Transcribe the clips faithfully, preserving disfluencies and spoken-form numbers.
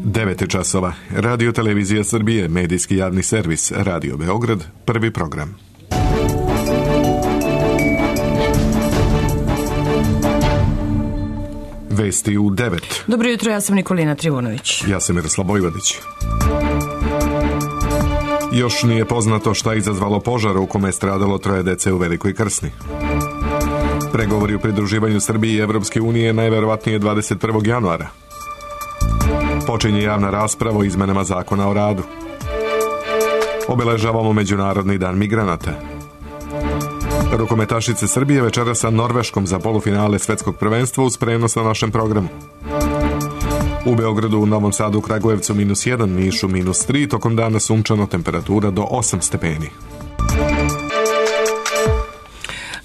devet časova. Radio Televizija Srbije, medijski javni servis, Radio Beograd, prvi program. Vesti u devet. Dobro jutro, ja sam Nikolina Trivunović. Ja sam Miroslav Bojvodić. Još nije poznato šta je izazvalo požar u kome je stradalo troje dece u Velikoj Krsni. Pregovori u pridruživanju Srbije i Evropske unije najverovatnije dvadeset prvog januara. Počinje javna rasprava o izmenama zakona o radu. Obeležavamo Međunarodni dan migranata. Rukometašice Srbije večera sa Norveškom za polufinale svetskog prvenstva uz prenos na našem programu. U Beogradu, u Novom Sadu, Kragujevcu minus jedan, Nišu minus tri, tokom dana sunčano, temperatura do osam stepeni.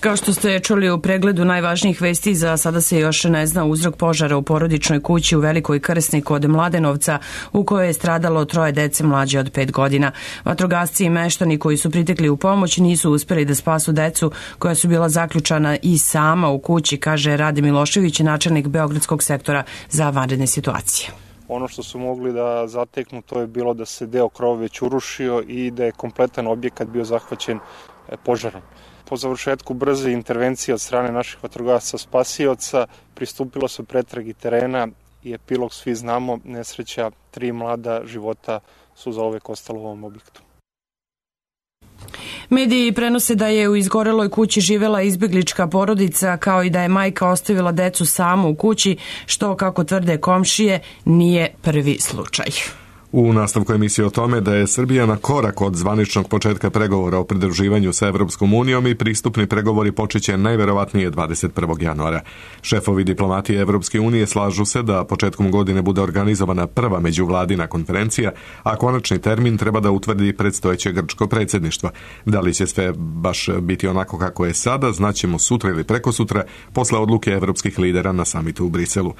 Kao što ste čuli u pregledu najvažnijih vesti, za sada se još ne zna uzrok požara u porodičnoj kući u Velikoj Krsni kod Mladenovca, u kojoj je stradalo troje dece mlađe od pet godina. Vatrogasci i meštani koji su pritekli u pomoć nisu uspeli da spasu decu koja su bila zaključana i sama u kući, kaže Rade Milošević, načelnik Beogradskog sektora za vanredne situacije. Ono što su mogli da zateknu, to je bilo da se deo krova već urušio i da je kompletan objekat bio zahvaćen požarom. Po završetku brze intervencije od strane naših vatrogasaca spasioca pristupilo se pretragi terena i epilog svi znamo, nesreća, tri mlada života su zauvek ostalo u ovom objektu. Mediji prenose da je u izgoreloj kući živela izbeglička porodica, kao i da je majka ostavila decu samu u kući, što, kako tvrde komšije, nije prvi slučaj. U nastavku emisije o tome da je Srbija na korak od zvaničnog početka pregovora o pridruživanju sa Evropskom unijom i pristupni pregovori počeće najverovatnije dvadeset prvog januara. Šefovi diplomatije Evropske unije slažu se da početkom godine bude organizovana prva međuvladina konferencija, a konačni termin treba da utvrdi predstojeće grčko predsjedništvo. Da li će sve baš biti onako kako je sada, znaćemo sutra ili prekosutra, posle odluke evropskih lidera na samitu u Briselu.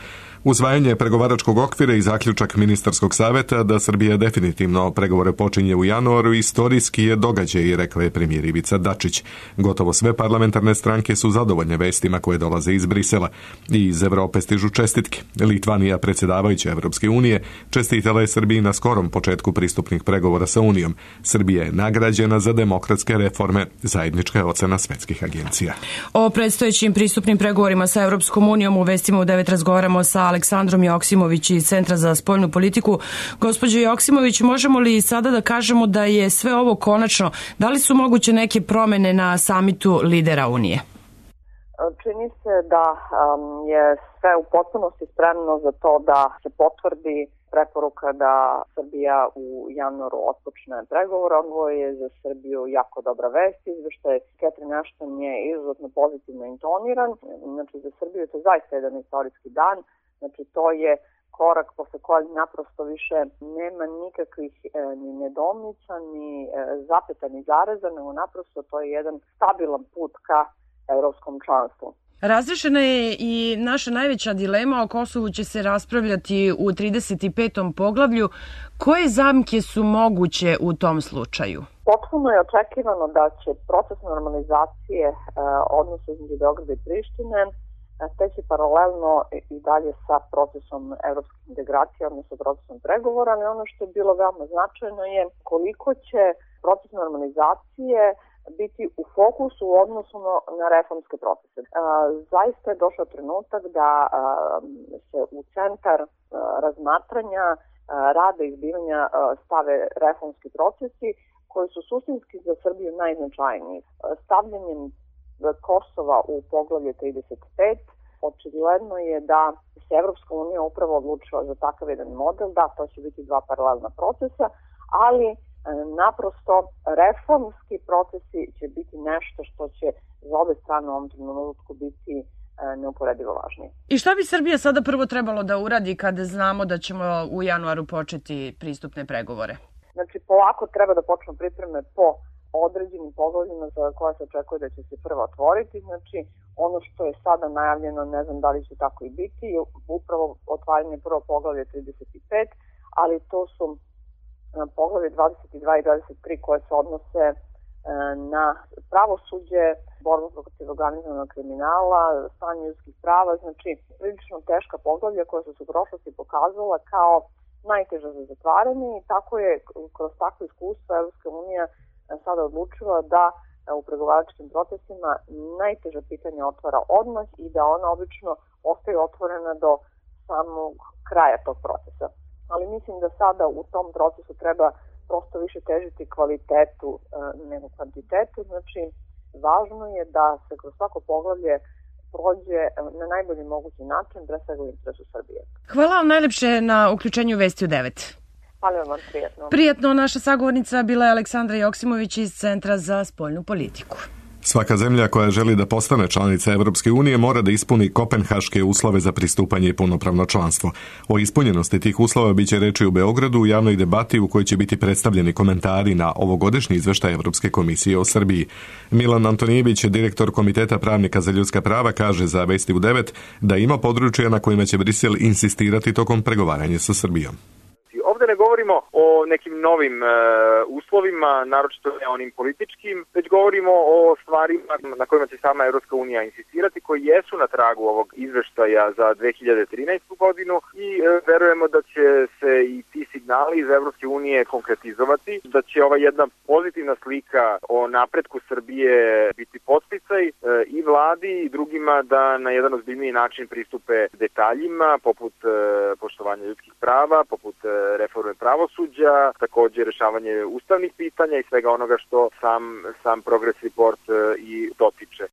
Usvajanje pregovaračkog okvira i zaključak ministarskog saveta da Srbija definitivno pregovore počinje u januaru istorijski je događaj, rekao je premijer Ivica Dačić. Gotovo sve parlamentarne stranke su zadovoljne vestima koje dolaze iz Brisela. I iz Evrope stižu čestitke. Litvanija, predsjedavajuća Evropske unije, čestitala je Srbiji na skorom početku pristupnih pregovora sa Unijom. Srbija je nagrađena za demokratske reforme, zajednička je ocena svetskih agencija. O predstojećim pristupnim pregovorima sa Evropskom unijom u vestima u devet razgovaramo sa Aleksandrom Joksimović iz Centra za spoljnu politiku. Gospođo Joksimović, možemo li sada da kažemo da je sve ovo konačno? Da li su moguće neke promene na samitu lidera Unije? Čini se da je sve u potpunosti spremno za to da se potvrdi preporuka da Srbija u januaru otpočne pregovore. Ovo je za Srbiju jako dobra vest. Izveštaj Catherine Ashton je izuzetno pozitivno intoniran. Znači, za Srbiju je to zaista jedan istorijski dan. Znači, to je korak posle kojeg naprosto više nema nikakvih e, ni nedoumica, ni e, zapeta, ni zareza, nego naprosto to je jedan stabilan put ka evropskom članstvu. Razrešena je i naša najveća dilema. O Kosovu će se raspravljati u trideset petom poglavlju. Koje zamke su moguće u tom slučaju? Potpuno je očekivano da će proces normalizacije e, odnosa između Beograda i Prištine teći paralelno i dalje sa procesom evropskih integracija, odnosno procesom pregovora, ali ono što je bilo veoma značajno je koliko će proces normalizacije biti u fokusu u odnosu na reformske procese. Zaista je došao trenutak da se u centar razmatranja rada i izbivanja stave reformski procesi koji su suštinski za Srbiju najznačajniji. Stavljanjem Kosova u poglavlje trideset pet, očigledno je da se Evropska unija upravo odlučila za takav jedan model, da to će biti dva paralelna procesa, ali naprosto reformski procesi će biti nešto što će za obe strane u ovom trenutku biti neuporedivo važnije. I šta bi Srbija sada prvo trebalo da uradi kada znamo da ćemo u januaru početi pristupne pregovore? Znači, polako treba da počnu pripreme po određenim poglavljima za koja se očekuje da će se prvo otvoriti. Znači, ono što je sada najavljeno, ne znam da li će tako i biti, je upravo otvaranje prvo poglavlje trideset pet, ali to su poglavlje dvadeset dva i dvadeset tri koje se odnose na pravosuđe, borbu protiv organizovanog kriminala, stanje ljudskih prava, znači prilično teška poglavlja koja su se u prošlosti pokazala kao najteža za zatvaranje i tako je kroz takvo iskustvo Evropska unija sada odlučila da u pregovaračkim procesima najteža pitanja otvara odmah i da ona obično ostaje otvorena do samog kraja tog procesa. Ali mislim da sada u tom procesu treba prosto više težiti kvalitetu nego kvantitetu, znači važno je da se kroz svako poglavlje prođe na najbolji mogući način, pre svega u interesu Srbije. Hvala vam najlepše na uključenju Vesti u devet. Hvala vam, prijatno. Prijatno, naša sagovornica bila je Aleksandra Joksimović iz Centra za spoljnu politiku. Svaka zemlja koja želi da postane članica Evropske unije mora da ispuni kopenhaške uslove za pristupanje i punopravno članstvo. O ispunjenosti tih uslova biće reči u Beogradu u javnoj debati u kojoj će biti predstavljeni komentari na ovogodišnji izveštaj Evropske komisije o Srbiji. Milan Antonijević, direktor Komiteta pravnika za ljudska prava, kaže za Vesti u devet da ima područja na kojima će Brisel insistirati tokom pregovaranja sa Srbijom. Ovde ne govorimo o nekim novim e, uslovima, naročito ne onim političkim, već govorimo o stvarima na kojima će sama Evropska unija insistirati, koji jesu na tragu ovog izveštaja za dve hiljade trinaestu godinu i e, verujemo da će se i ti signali iz Evropske unije konkretizovati, da će ova jedna pozitivna slika o napretku Srbije biti podsticaj e, i vladi i drugima da na jedan ozbiljniji način pristupe detaljima, poput e, poštovanja ljudskih prava, poput e, reforme pravosuđa, također rešavanje ustavnih pitanja i svega onoga što sam, sam Progress Report i dotiče.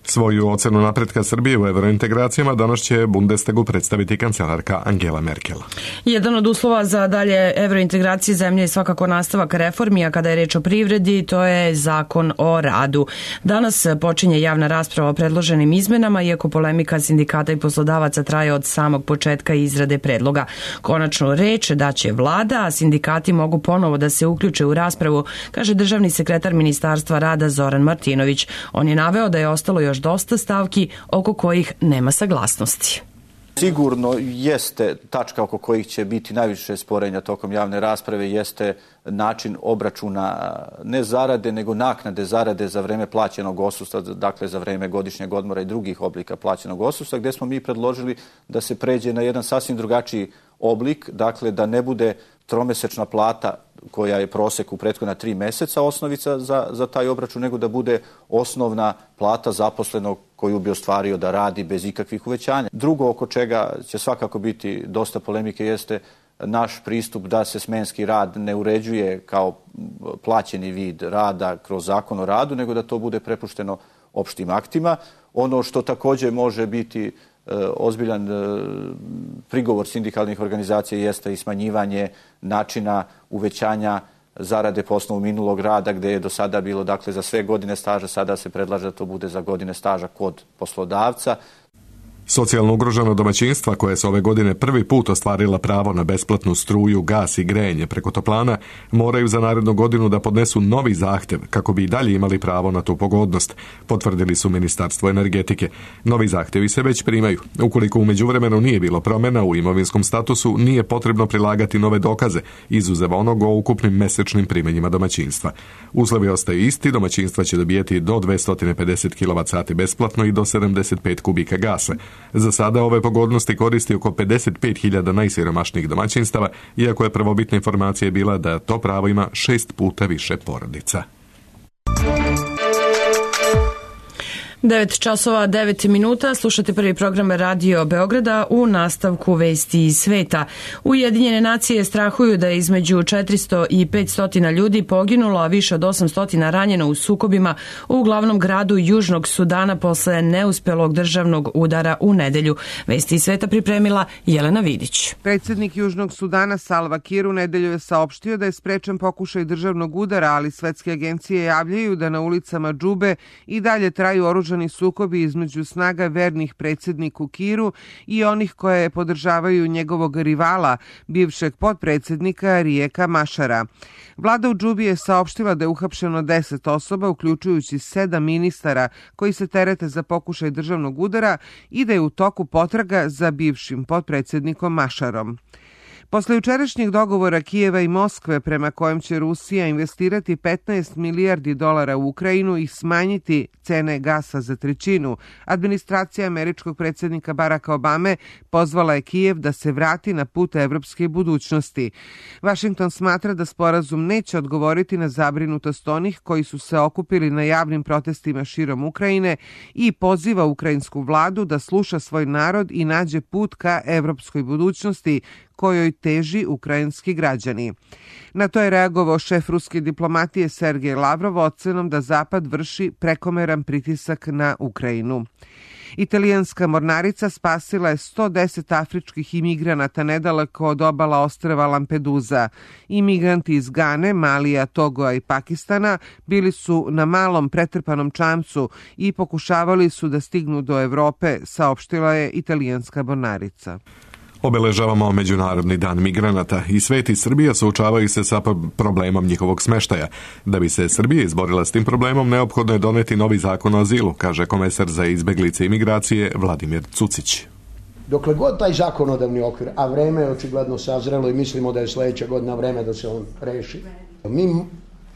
Svoju ocenu napretka Srbije u evrointegracijama danas će Bundestagu predstaviti kancelarka Angela Merkel. Jedan od uslova za dalje evrointegracije zemlje je svakako nastavak reformi, a kada je reč o privredi, to je zakon o radu. Danas počinje javna rasprava o predloženim izmenama, iako polemika sindikata i poslodavaca traje od samog početka izrade predloga. Konačnu reč da će vlada, a sindikati mogu ponovo da se uključe u raspravu, kaže državni sekretar Ministarstva rada Zoran Martinović. On je naveo da je ostalo još dosta stavki oko kojih nema saglasnosti. Sigurno jeste tačka oko kojih će biti najviše sporenja tokom javne rasprave, jeste način obračuna ne zarade, nego naknade zarade za vreme plaćenog odsustva, dakle za vreme godišnjeg odmora i drugih oblika plaćenog odsustva, gde smo mi predložili da se pređe na jedan sasvim drugačiji oblik, dakle da ne bude tromesečna plata koja je prosek u prethodna tri meseca osnovica za, za taj obračun, nego da bude osnovna plata zaposlenog koju bi ostvario da radi bez ikakvih uvećanja. Drugo oko čega će svakako biti dosta polemike jeste naš pristup da se smenski rad ne uređuje kao plaćeni vid rada kroz zakon o radu, nego da to bude prepušteno opštim aktima. Ono što također može biti ozbiljan prigovor sindikalnih organizacija jeste i smanjivanje načina uvećanja zarade po osnovu minulog rada, gde je do sada bilo dakle za sve godine staža, sada se predlaže da to bude za godine staža kod poslodavca. Socijalno ugrožena domaćinstva koje se ove godine prvi put ostvarila pravo na besplatnu struju, gas i grejanje preko toplana moraju za narednu godinu da podnesu novi zahtev kako bi i dalje imali pravo na tu pogodnost, potvrdili su Ministarstvo energetike. Novi zahtevi se već primaju. Ukoliko u međuvremenu nije bilo promjena u imovinskom statusu, nije potrebno prilagati nove dokaze, izuzev onog o ukupnim mesečnim primanjima domaćinstva. Uslovi ostaju isti, domaćinstva će dobijeti do dvesta pedeset kilovat sati besplatno i do sedamdeset pet kubika gasa. Za sada ove pogodnosti koristi oko pedeset pet hiljada najsiromašnijih domaćinstava, iako je prvobitna informacija bila da to pravo ima šest puta više porodica. devet časova devet minuta, slušate prvi program Radio Beograda, u nastavku vesti iz sveta. Ujedinjene nacije strahuju da je između četiristo i petsto ljudi poginulo, a više od osamsto ranjeno u sukobima u glavnom gradu Južnog Sudana posle neuspelog državnog udara u nedelju. Vesti iz sveta pripremila Jelena Vidić. Predsjednik Južnog Sudana Salva Kiir u nedelju je saopštio da je sprečen pokušaj državnog udara, ali svetske agencije javljaju da na ulicama Džube i dalje traju oružani sukobi između snaga vernih predsjedniku Kiiru i onih koje podržavaju njegovog rivala, bivšeg potpredsjednika Rijeka Mašara. Vlada u Džubi je saopštila da je uhapšeno deset osoba, uključujući sedam ministara koji se terete za pokušaj državnog udara i da je u toku potraga za bivšim potpredsjednikom Mašarom. Posle jučerašnjeg dogovora Kijeva i Moskve prema kojem će Rusija investirati petnaest milijardi dolara u Ukrajinu i smanjiti cene gasa za trećinu, administracija američkog predsjednika Baracka Obame pozvala je Kijev da se vrati na put evropske budućnosti. Washington smatra da sporazum neće odgovoriti na zabrinutost onih koji su se okupili na javnim protestima širom Ukrajine i poziva ukrajinsku vladu da sluša svoj narod i nađe put ka evropskoj budućnosti kojoj teži ukrajinski građani. Na to je reagovao šef ruske diplomatije Sergej Lavrov ocenom da Zapad vrši prekomeran pritisak na Ukrajinu. Italijanska mornarica spasila je sto deset afričkih imigranata nedaleko od obala ostrva Lampedusa. Imigranti iz Gane, Malija, Togoa i Pakistana bili su na malom pretrpanom čamcu i pokušavali su da stignu do Evrope, saopštila je italijanska mornarica. Obeležavamo Međunarodni dan migranata i svet i Srbija suočavaju se sa problemom njihovog smeštaja. Da bi se Srbija izborila s tim problemom, neophodno je doneti novi zakon o azilu, kaže komesar za izbeglice i migracije Vladimir Cucić. Dokle god taj zakonodavni okvir, a vreme je očigledno sazrelo i mislimo da je sledeća godina vreme da se on reši, mi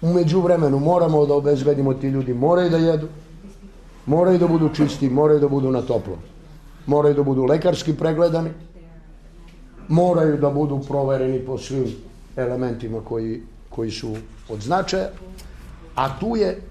u međuvremenu moramo da obezbedimo, ti ljudi moraju da jedu, moraju da budu čisti, moraju da budu na toplo, moraju da budu lekarski pregledani, moraju da budu provereni po svim elementima koji, koji su od značaja, a tu je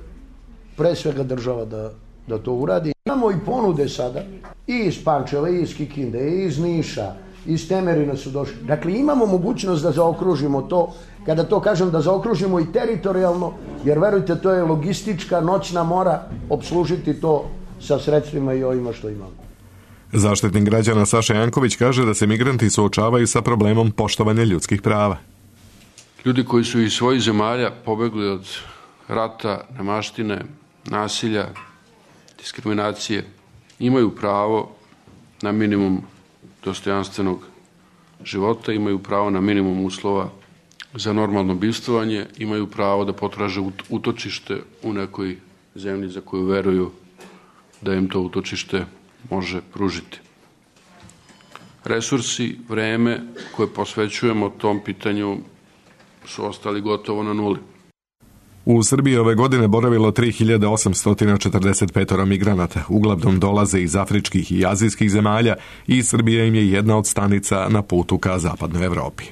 pre svega država da, da to uradi. Imamo i ponude sada, i iz Pančeva, i iz Kikinde, i iz Niša, i iz Temerina su došli. Dakle, imamo mogućnost da zaokružimo to, kada to kažem da zaokružimo i teritorijalno, jer verujte, to je logistička noćna mora obslužiti to sa sredstvima i ovima što imamo. Zaštitnik građana Saša Janković kaže da se migranti suočavaju sa problemom poštovanja ljudskih prava. Ljudi koji su iz svojih zemalja pobegli od rata, nemaštine, nasilja, diskriminacije, imaju pravo na minimum dostojanstvenog života, imaju pravo na minimum uslova za normalno bivstvovanje, imaju pravo da potraže utočište u nekoj zemlji za koju veruju da im to utočište može pružiti. Resursi, vreme koje posvećujemo tom pitanju su ostali gotovo na nuli. U Srbiji ove godine boravilo tri hiljade osamsto četrdeset pet migranata. Uglavnom dolaze iz afričkih i azijskih zemalja i Srbija im je jedna od stanica na putu ka zapadnoj Evropi.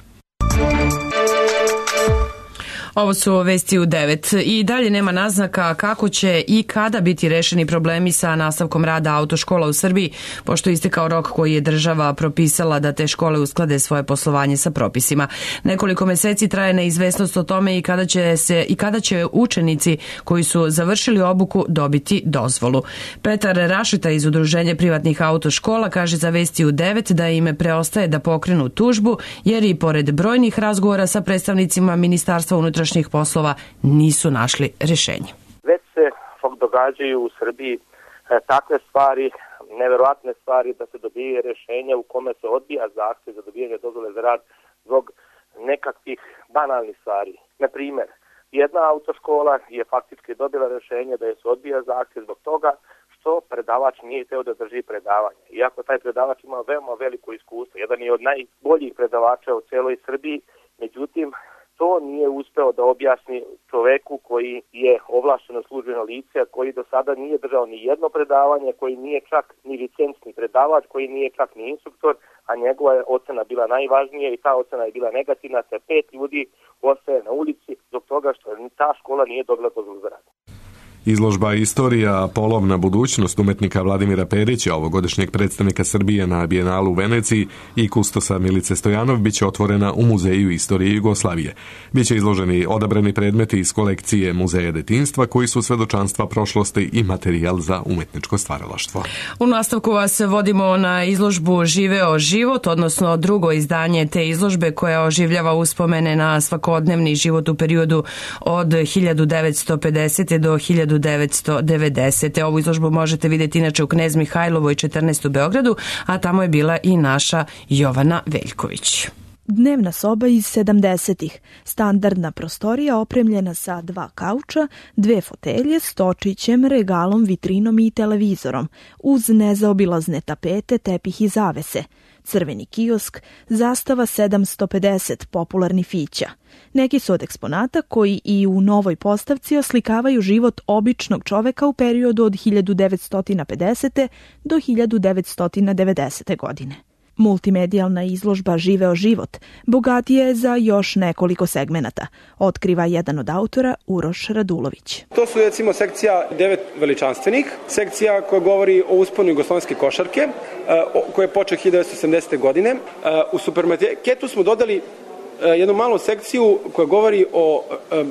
Ovo su vesti u devet. I dalje nema naznaka kako će i kada biti rešeni problemi sa nastavkom rada autoškola u Srbiji, pošto je istekao rok koji je država propisala da te škole usklade svoje poslovanje sa propisima. Nekoliko meseci traje neizvesnost o tome i kada će se i kada će učenici koji su završili obuku dobiti dozvolu. Petar Rašeta iz Udruženja privatnih autoškola kaže za vesti u devet da im preostaje da pokrenu tužbu, jer i pored brojnih razgovora sa predstavnicima Ministarstva unutrašnjih poslova nisu našli rešenje. Već se događaju u Srbiji takve stvari, neverovatne stvari da se dobije rešenje u kome se odbija zahtev za dobijanje dozvole za rad zbog nekakvih banalnih stvari. Na primjer, jedna autoškola je faktički dobila rešenje da je se odbija zahtev zbog toga što predavač nije hteo da drži predavanje. Iako taj predavač ima veoma veliko iskustvo, jedan je od najboljih predavača u celoj Srbiji, međutim, to nije uspeo da objasni čoveku koji je ovlašćeno službeno lice, koji do sada nije držao ni jedno predavanje, koji nije čak ni licencni predavač, koji nije čak ni instruktor, a njegova je ocena bila najvažnija i ta ocena je bila negativna, te pet ljudi ostaje na ulici zbog toga što ta škola nije dobila dozvolu za rad. Izložba Istorija, polovna budućnost umetnika Vladimira Perića, ovogodišnjeg predstavnika Srbije na Bijenalu u Veneciji, i kustosa Milice Stojanov biće otvorena u Muzeju istorije Jugoslavije. Biće izloženi odabrani predmeti iz kolekcije Muzeja detinjstva koji su svedočanstva prošlosti i materijal za umetničko stvaralaštvo. U nastavku vas vodimo na izložbu Živeo život, odnosno drugo izdanje te izložbe koja oživljava uspomene na svakodnevni život u periodu od hiljadu devetsto pedesete do hiljadu devetsto devedesete. Ovu izložbu možete vidjeti inače u Knez Mihajlovoj četrnaest u Beogradu, a tamo je bila i naša Jovana Veljković. Dnevna soba iz sedamdesetih. Standardna prostorija opremljena sa dva kauča, dve fotelje, stočićem, regalom, vitrinom i televizorom, uz nezaobilazne tapete, tepih i zavese. crveni kiosk, zastava sedamsto pedeset, popularni fića. Neki su od eksponata koji i u novoj postavci oslikavaju život običnog čoveka u periodu od hiljadu devetsto pedesete. do hiljadu devetsto devedesete. godine. Multimedijalna izložba Živeo život bogatija je za još nekoliko segmenata, otkriva jedan od autora, Uroš Radulović. To su recimo sekcija devet veličanstvenih, sekcija koja govori o usponu jugoslovenske košarke, koja je počela hiljadu devetsto sedamdesete. godine. U supermarketu smo dodali jednu malu sekciju koja govori o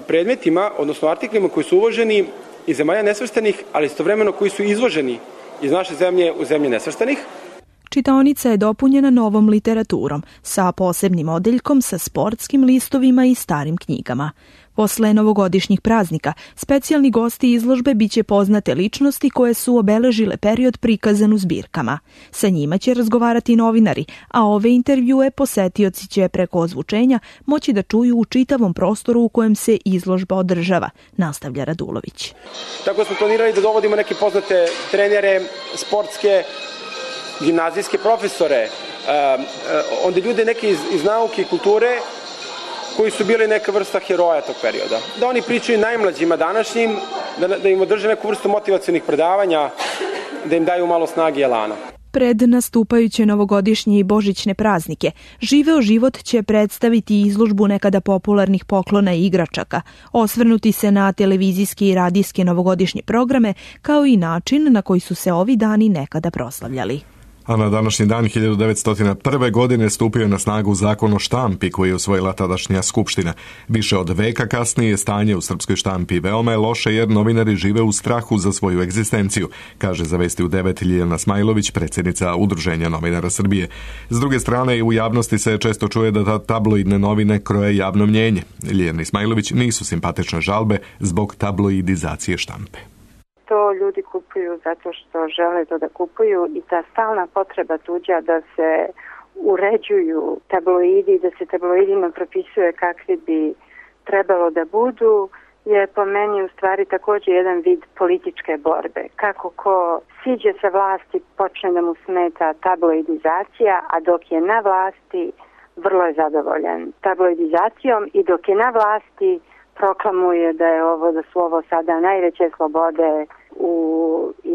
predmetima, odnosno artiklima koji su uvoženi iz zemalja nesvrstanih, ali istovremeno koji su izvoženi iz naše zemlje u zemlje nesvrstanih. Čitaonica je dopunjena novom literaturom, sa posebnim odeljkom sa sportskim listovima i starim knjigama. Posle novogodišnjih praznika, specijalni gosti izložbe biće poznate ličnosti koje su obeležile period prikazan u zbirkama. Sa njima će razgovarati novinari, a ove intervjue posetioci će preko ozvučenja moći da čuju u čitavom prostoru u kojem se izložba održava, nastavlja Radulović. Tako smo planirali da dovodimo neke poznate trenere, sportske, gimnazijske profesore, onda ljude neke iz, iz nauke i kulture koji su bili neka vrsta heroja tog perioda. Da oni pričaju najmlađima današnjim, da, da im održe neku vrstu motivacionih predavanja, da im daju malo snage i elana. Pred nastupajuće novogodišnje i božićne praznike, Živeo život će predstaviti izložbu nekada popularnih poklona i igračaka, osvrnuti se na televizijske i radijske novogodišnje programe, kao i način na koji su se ovi dani nekada proslavljali. A na današnji dan hiljadu devetsto prve. godine stupio je na snagu zakon o štampi koji je usvojila tadašnja skupština. Više od veka kasnije stanje u srpskoj štampi veoma je loše jer novinari žive u strahu za svoju egzistenciju, kaže za Vesti u devet Ljiljana Smajlović, predsjednica Udruženja novinara Srbije. S druge strane, i u javnosti se često čuje da tabloidne novine kroje javno mnjenje. Ljiljani Smajlović nisu simpatične žalbe zbog tabloidizacije štampe. To ljudi kupuju zato što žele to da kupuju i ta stalna potreba tuđa da se uređuju tabloidi, da se tabloidima propisuje kakvi bi trebalo da budu, je po meni u stvari također jedan vid političke borbe. Kako ko siđe sa vlasti počne da mu smeta tabloidizacija, a dok je na vlasti vrlo je zadovoljan tabloidizacijom i dok je na vlasti proklamuje da je ovo, da su ovo sada najveće slobode u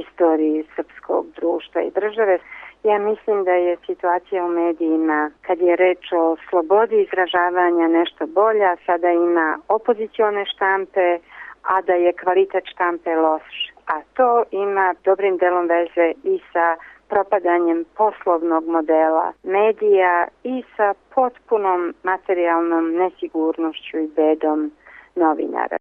istoriji srpskog društva i države. Ja mislim da je situacija u medijima, kad je reč o slobodi izražavanja, nešto bolja. Sada ima opozicione štampe, a da je kvalitet štampe loš. A to ima dobrim delom veze i sa propadanjem poslovnog modela medija i sa potpunom materijalnom nesigurnošću i bedom novinara.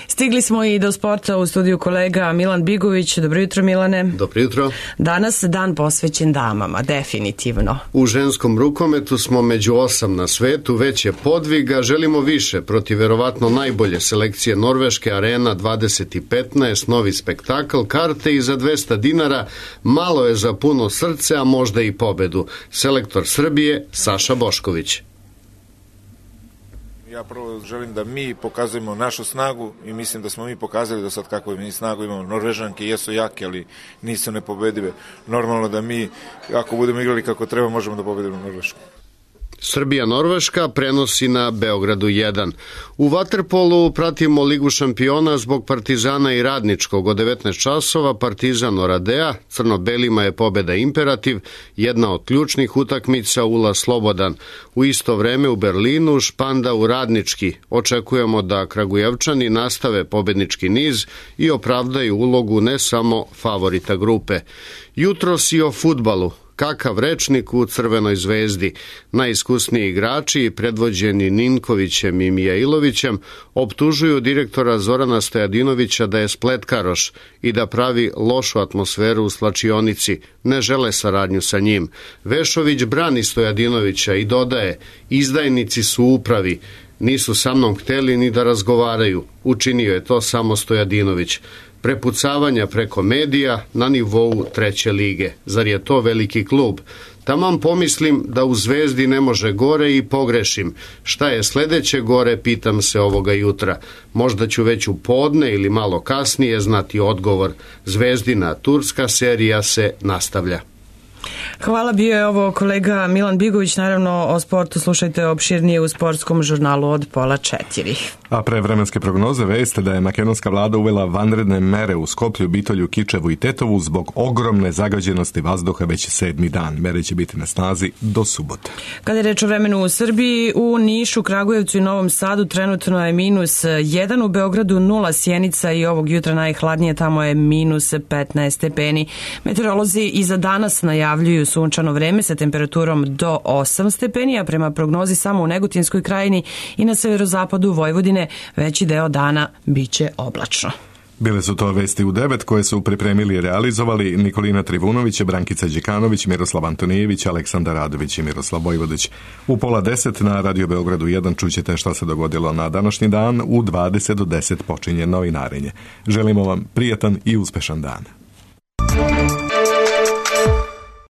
Stigli smo i do sporta, u studiju kolega Milan Bigović. Dobro jutro, Milane. Dobro jutro. Danas dan posvećen damama, definitivno. U ženskom rukometu smo među osam na svetu, već je podviga, želimo više protiv verovatno najbolje selekcije Norveške, Arena dvadeset petnaest, novi spektakl, karte i za dvesta dinara, malo je za puno srce, a možda i pobedu. Selektor Srbije, Saša Bošković. Ja prvo želim da mi pokazujemo našu snagu i mislim da smo mi pokazali do sad kakvu mi snagu imamo. Norvežanke jesu jake, ali nisu nepobedive. Normalno da mi, ako budemo igrali kako treba, možemo da pobedimo Norvešku. Srbija-Norveška prenosi na Beogradu jedan. U vaterpolu pratimo Ligu šampiona zbog Partizana i Radničkog. Od devetnaest časova Partizan Oradea, crno-belima je pobeda imperativ, jedna od ključnih utakmica Ula Slobodan. U isto vreme u Berlinu Španda u Radnički. Očekujemo da Kragujevčani nastave pobednički niz i opravdaju ulogu ne samo favorita grupe. Jutros i o fudbalu. Kakav rečnik u Crvenoj zvezdi. Najiskusniji igrači, predvođeni Ninkovićem i Mijailovićem, optužuju direktora Zorana Stojadinovića da je spletkaroš i da pravi lošu atmosferu u slačionici. Ne žele saradnju sa njim. Vešović brani Stojadinovića i dodaje, izdajnici su upravi. Nisu sa mnom hteli ni da razgovaraju. Učinio je to samo Stojadinović. Prepucavanja preko medija na nivou treće lige. Zar je to veliki klub? Taman pomislim da u Zvezdi ne može gore i pogrešim. Šta je sledeće gore, pitam se ovoga jutra. Možda ću već u podne ili malo kasnije znati odgovor. Zvezdina turska serija se nastavlja. Hvala, bio je ovo kolega Milan Bigović. Naravno, o sportu slušajte opširnije u sportskom žurnalu od pola četiri. A pre vremenske prognoze veste da je makedonska vlada uvela vanredne mere u Skoplju, Bitolju, Kičevu i Tetovu zbog ogromne zagađenosti vazduha već sedmi dan. Mere će biti na snazi do subote. Kada je reč o vremenu u Srbiji, u Nišu, Kragujevcu i Novom Sadu trenutno je minus jedan, u Beogradu nula, Sjenica i ovog jutra najhladnije, tamo je minus petnaest stepeni. Meteorolozi i za danas najavljuju sunčano vreme sa temperaturom do osam stepeni, a prema prognozi samo u Negotinskoj krajini i na severozapadu Vojvodine veći deo dana biće oblačno. Bile su to vesti u devet koje su pripremili i realizovali Nikolina Trivunović, Brankica Đekanović, Miroslav Antonijević, Aleksandar Radović i Miroslav Vojvodić. U pola deset na Radio Beogradu jedan čućete šta se dogodilo na današnji dan. U dvadeset do deset počinje novinarenje. Želimo vam prijatan i uspešan dan.